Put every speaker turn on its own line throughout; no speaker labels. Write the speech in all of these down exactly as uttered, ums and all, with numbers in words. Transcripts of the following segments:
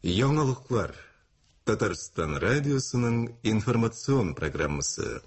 Яңалыклар. Татарстан радиосының информацион программасы.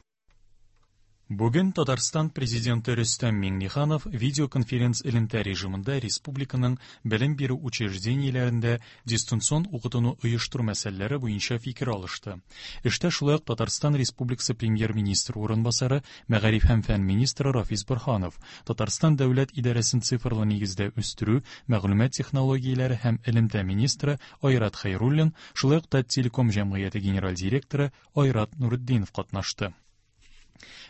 Бүген Татарстан Президенты Рөстәм Миңнеханов видеоконференц элемтә режимында республиканың белем бирү учреждениеләрендә дистанцион укытуны оештыру мәсьәләләре буенча фикер алышты. Эштә шулай ук Татарстан Республикасы Премьер-министры урынбасары, мәгариф һәм фән министры Рафис Борһанов, Татарстан дәүләт идарәсен цифрлы нигездә үстерү, мәгълүмат технологияләре һәм элемтә министры Айрат Хәйруллин, шулай ук Таттелеком җәмгыяте генераль директоры Айрат Нуретдинов катнашты.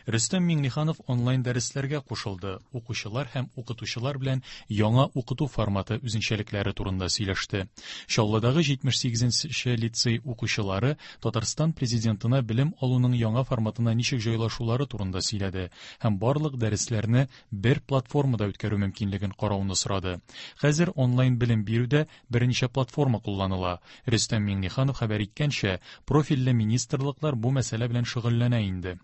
Рөстәм Миңнеханов онлайн дәресләргә кушылды, укучылар һәм укытучылар белән яңа укыту форматы үзенчәлекләре турында сөйләште. Чаллыдагы җитмеш сигезенче лицей укучылары Татарстан президентына белем алуның яңа форматына ничек җайлашулары турында сөйләде һәм барлык дәресләрне бер платформада үткәрү мөмкинлеген карауны сорады. Хәзер онлайн белем бирүдә берничә платформа кулланыла. Рөстәм Миңнеханов хәбәр иткәнчә, профильле министрлыклар бу мәсьәлә белән шөгыльләнә инде.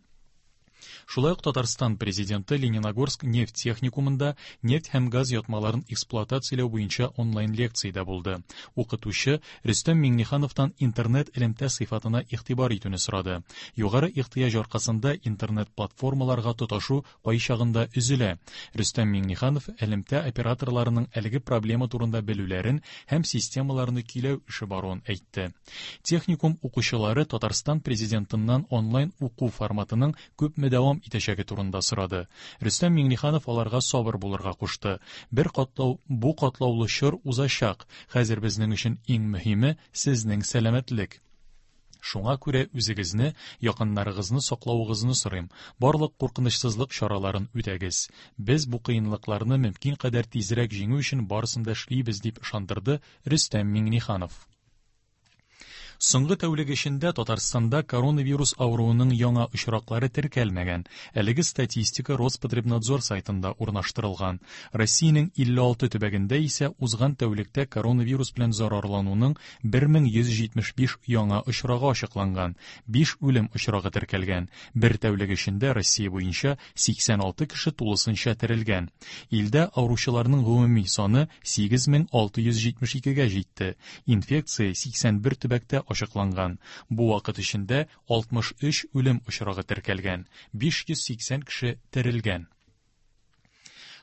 Шулай ук Татарстан президенты Лениногорск нефть техникумында нефть һәм газ ятмаларын эксплуатацияләү буенча онлайн лекциядә булды. Укытучы Рөстәм Миңнехановтан интернет элемтә сыйфатына игътибар итүне сорады. Югары ихтыяҗ аркасында интернет платформаларга тоташу кайчагында өзелә. Рөстәм Миңнеханов элемтә операторларының әлеге проблема турында белүләрен һәм системаларны көйләү эше баруын әйтте. Техникум укучылары Татарстан президентыннан онлайн уку форматының күпме дәвам итәчәге турында сорады. Рөстәм Миңнеханов аларга сабыр булырга кушты. Бер катлау, бу катлаулы чор узачак. Хәзер безнең өчен иң мөһиме сезнең сәламәтлек. Шуңа күрә үзегезне, якыннарыгызны саклавыгызны сорыйм. Барлык куркынычсызлык чараларын үтәгез. Без бу кыенлыкларны мөмкин кадәр тизрәк җиңү өчен барысын да эшлибез, дип ышандырды Рөстәм Миңнеханов. Соңгы тәүлек эчендә Татарстанда коронавирус авыруының яңа очраклары теркәлмәгән. Әлеге статистика Роспотребнадзор сайтында урнаштырылган. Россиянең илле алты төбәгендә исә узган тәүлектә коронавирус белән зарарлануның бер мең йөз җитмеш биш яңа очрагы ачыкланган, биш үлем очрагы теркәлгән. Бер тәүлек эчендә Россия буенча сиксән алты кеше тулысынча терелгән. Илдә авыручыларның гомуми саны сигез мең алты йөз җитмеш икегә җитте. Инфекция сиксән бер төбәктә ачыкланган. Бу вакыт эчендә алтмыш өч үлем очрагы теркәлгән, биш йөз сиксән кеше терелгән.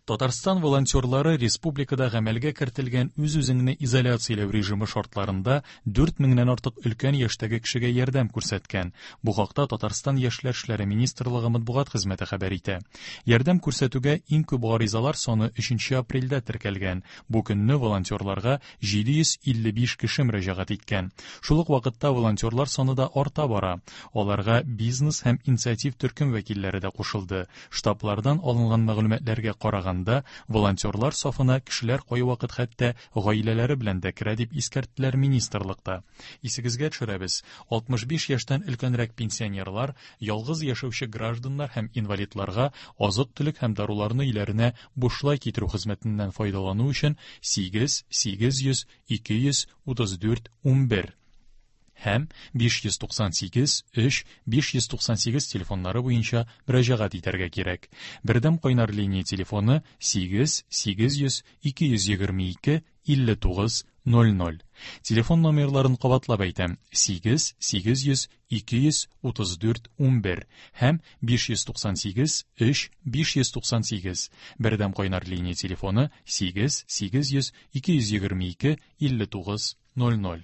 Татарстан волонтерлары республикада гамәлгә кертелгән үз-үзеңне изоляцияләү режимы шартларында дүрт меңнән артык өлкән яшьтәге кешегә ярдәм күрсәткән. Бу хакта Татарстан Яшьләр эшләре министрлыгы матбугат хезмәте хәбәр итә. Ярдәм күрсәтүгә иң күп гаризалар саны өченче апрельдә теркәлгән. Бу көнне волонтерларга җиде йөз илле биш кеше мөрәҗәгать иткән. Шул ук вакытта волонтерлар саны да арта бара. Аларга бизнес һәм инициатив төркем вәкилләре дә кушылды. Штаблардан алынган мәгълүматларга караганда, волонтерлар сафына кешеләр кайвакыт хәтта гаиләләре белән дә керә дип искәрттеләр министрлыкта. Исегезгә төшерәбез, алтмыш биш яшьтән өлкәнрәк пенсионерлар, ялгыз яшәүче гражданнар һәм инвалидларга азык-төлек һәм даруларны өйләренә бушлай китерү хезмәтеннән файдалану өчен сигез, сигез йөз, ике йөз, утыз дүрт, унбер һәм биш йөз туксан сигез, өч, биш йөз туксан сигез телефоннары буенча мөрәҗәгать итәргә кирәк. Бердәм кайнар линия телефоны сигез, сигез йөз, ике йөз егерме ике, илле тугыз, ноль ноль. Телефон номерларын кабатлап әйтәм: сигез, сигез йөз, ике йөз, утыз дүрт, унбер һәм биш йөз туксан сигез, өч, биш йөз туксан сигез. Бердәм кайнар линия телефоны сигез, сигез йөз, ике йөз егерме ике, илле тугыз, ноль ноль.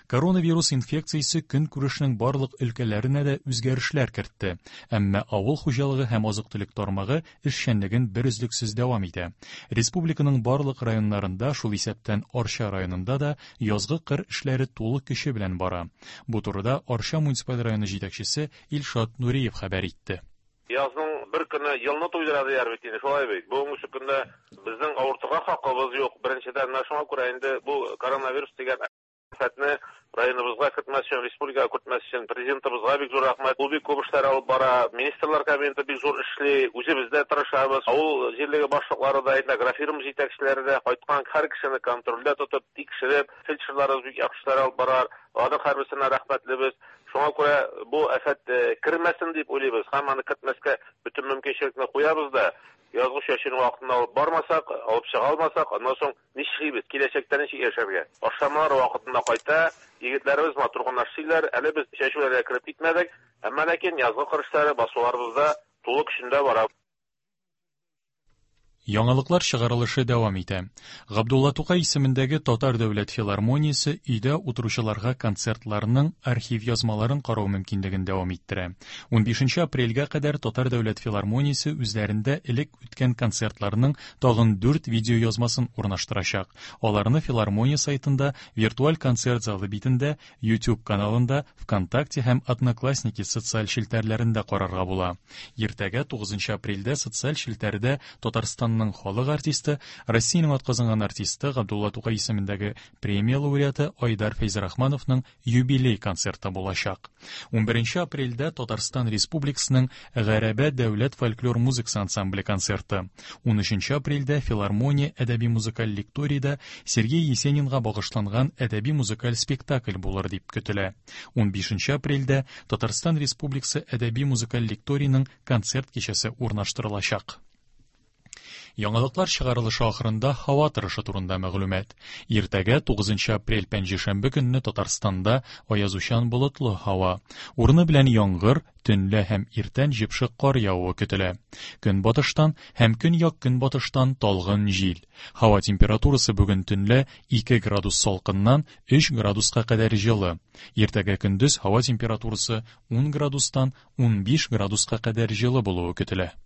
Коронавирус инфекциясе көнкүрешнең барлык өлкәләренә дә үзгәрешләр кертте. Әмма авыл хуҗалыгы һәм азык-төлек тармагы эшчәнлеген берөзлексез дәвам итә. Республиканың барлык районнарында, шул исәптән Арча районында да язгы кыр эшләре тулы көче белән бара. Бу турыда Арча муниципаль районы җитәкчесе Илшат Нуриев хәбәр итте.
Язның бер көне елны туйдыра дияр бит инде, шулай бит. Бүгенге көндә безнең авыртырга хакыбыз юк. Беренчедән, менә шуңа күрә инде бу коронавирус дигән афәтне районыбызга кертмәс өчен, республикага кертмәс өчен президентыбызга бик зур рәхмәт. Ул бик күп эшләр алып бара, министрлар кабинеты бик зур эшли, үзебез дә тырышабыз. Авыл җирлеге башлыклары да, инде агрофирма җитәкчеләре дә кайткан һәр кешене контрольдә тотып, тикшереп, фельдшерларыбыз бик яхшы эшләр алып бара. Аның һәрберсенә рәхмәтлебез. Шуңа күрә бу афәт, э, кермәсен дип уйлыйбыз һәм аны кертмәскә бөтен мөмкинчелекне куябыз да. Язгы чәчүне вакытында алып бармасак, алып чыга алмасак, аннан соң нишлибез? Киләчәктә ничек яшәргә? Ашламалар вакытында кайта, егетләребез матур гына эшлиләр. Әле без чәчүләргә кереп китмәдек. Әмма ләкин язгы кыр эшләре басуларыбызда тулы көчендә бара.
Яңалыклар чыгарылышы дәвам итә. Габдулла Тукай исемендәге Татар дәүләт филармониясе өйдә утыручыларга концертларның архив язмаларын карау мөмкинлеген дәвам иттерә. Унбишенче апрельгә кадәр Татар дәүләт филармониясе үзләрендә элек үткән концертларның тагын дүрт видео язмасын урнаштырачак. Аларны филармония сайтында, виртуаль концерт залы битендә, YouTube каналында, ВКонтакте һәм Одноклассники социаль челтәрләрендә карарга була. Иртәгә тугызынчы апрельдә социаль челтәрдә Татарстанның халык артисты, Россиянең атказанган артисты Габдулла Тукай исемендәге премия лауреаты Айдар Фәйзрахмановның юбилей концерты булачак. Унберенче апрельдә Татарстан Республикасының Гәрәбә дәүләт фольклор музыкасы ансамбле концерты. Унөченче апрельдә филармония әдәби музыкаль лекторийда Сергей Есенинга багышланган әдәби музыкаль спектакль булыр дип көтелә. Унбишенче апрельдә Татарстан Республикасы әдәби музыкаль лекторийның концерт кичәсе урнаштырылачак. Яңалыклар чыгарылышы ахырында һава торышы турында мәгълүмат. Иртәгә тугызынчы апрель пәнҗешәмбе көнне Татарстанда аязучан болытлы һава. Урыны белән яңгыр, төнлә һәм иртән җепшек кар явуы көтелә. Көнбатыштан һәм көньяк-көнбатыштан талгын җил. Һава температурасы бүген төнлә ике градус салкыннан өч градуска кадәр җылы. Иртәгә көндез һава температурасы ун градустан унбиш градуска кадәр җылы булуы көтелә.